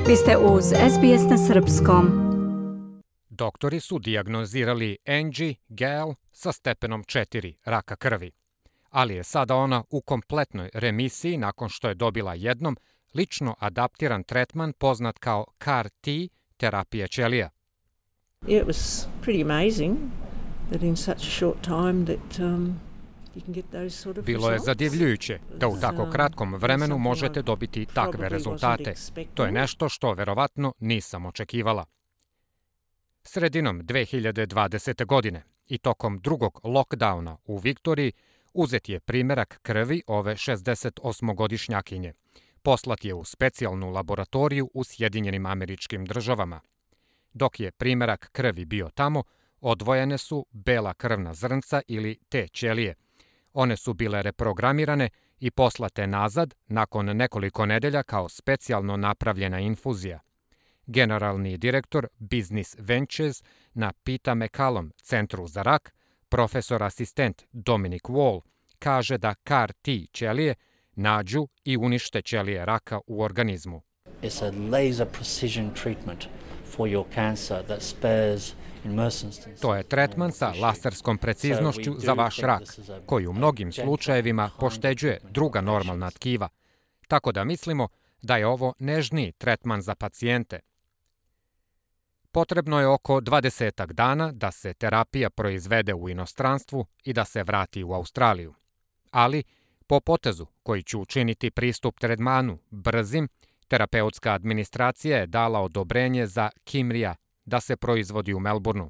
Vi ste uz SBS na srpskom. Doktori su dijagnozirali Angie Gale sa stepenom 4 raka krvi, ali je sada ona u kompletnoj remisiji nakon što je dobila jednom lično adaptiran tretman poznat kao CAR-T terapija ćelija. It was pretty amazing that in such a short time that Bilo je zadivljujuće da u tako kratkom vremenu možete dobiti takve rezultate. To je nešto što verovatno nisam očekivala. Sredinom 2020. godine i tokom drugog lockdowna u Viktoriji uzet je primerak krvi ove 68-godišnjakinje. Poslat je u specijalnu laboratoriju u Sjedinjenim Američkim Državama. Dok je primerak krvi bio tamo, odvojene su bela krvna zrnca ili T ćelije. One su bile reprogramirane i poslate nazad nakon nekoliko nedelja kao specijalno napravljena infuzija. Generalni direktor Business Ventures na Peter MacCallum centru za rak, profesor asistent Dominic Wall, kaže da CAR-T ćelije nađu i unište ćelije raka u organizmu. It's a laser precision treatment for your cancer that spares. To je tretman sa laserskom preciznošću za vaš rak, koji u mnogim slučajevima pošteđuje druga normalna tkiva. Tako da mislimo da je ovo nežniji tretman za pacijente. Potrebno je oko 20 dana da se terapija proizvede u inostranstvu i da se vrati u Australiju. Ali, po potezu koji će učiniti pristup tretmanu brzim, terapeutska administracija je dala odobrenje za Kymria da se proizvodi u Melbourneu.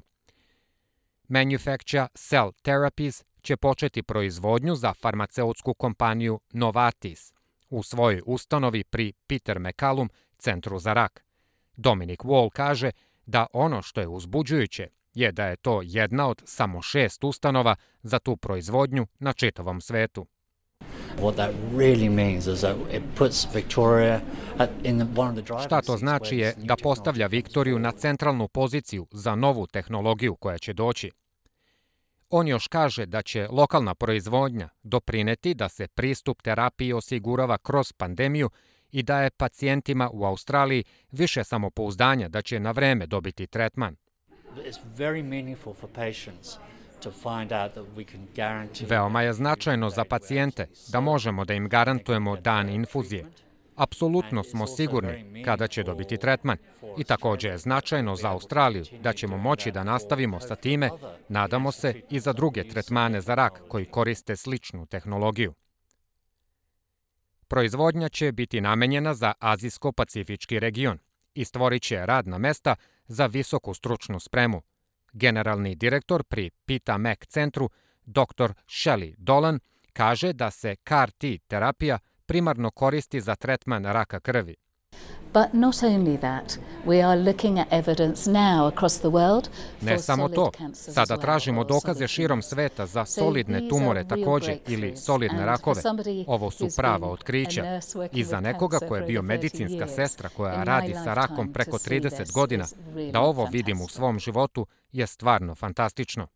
Manufacture Cell Therapies će početi proizvodnju za farmaceutsku kompaniju Novartis u svojoj ustanovi pri Peter MacCallum centru za rak. Dominic Wall kaže da ono što je uzbuđujuće je da je to jedna od samo 6 ustanova za tu proizvodnju na čitavom svetu. Šta to znači je da postavlja Viktoriju na centralnu poziciju za novu tehnologiju koja će doći. On još kaže da će lokalna proizvodnja doprineti da se pristup terapiji osigurava kroz pandemiju i daje pacijentima u Australiji više samopouzdanja da će na vreme dobiti tretman. Veoma je značajno za pacijente da možemo da im garantujemo dan infuzije. Apsolutno smo sigurni kada će dobiti tretman i također je značajno za Australiju da ćemo moći da nastavimo sa time, nadamo se i za druge tretmane za rak koji koriste sličnu tehnologiju. Proizvodnja će biti namenjena za Azijsko-Pacifički region i stvorit će radna mesta za visoku stručnu spremu. Generalni direktor pri Peter Mac centru, dr. Shelley Dolan, kaže da se CAR-T terapija primarno koristi za tretman raka krvi. Ne samo to, sada tražimo dokaze širom sveta za solidne tumore također ili solidne rakove. Ovo su prava otkrića. I za nekoga ko je bio medicinska sestra koja radi sa rakom preko 30 godina, da ovo vidim u svom životu je stvarno fantastično.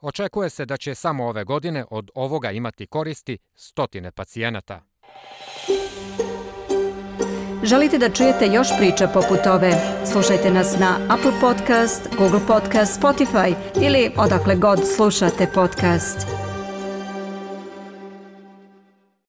Očekuje se da će samo ove godine od ovoga imati koristi 100 pacijenata. Želite da čujete još priča poput ove? Slušajte nas na Apple Podcast, Google Podcast, Spotify ili odakle god slušate podcast.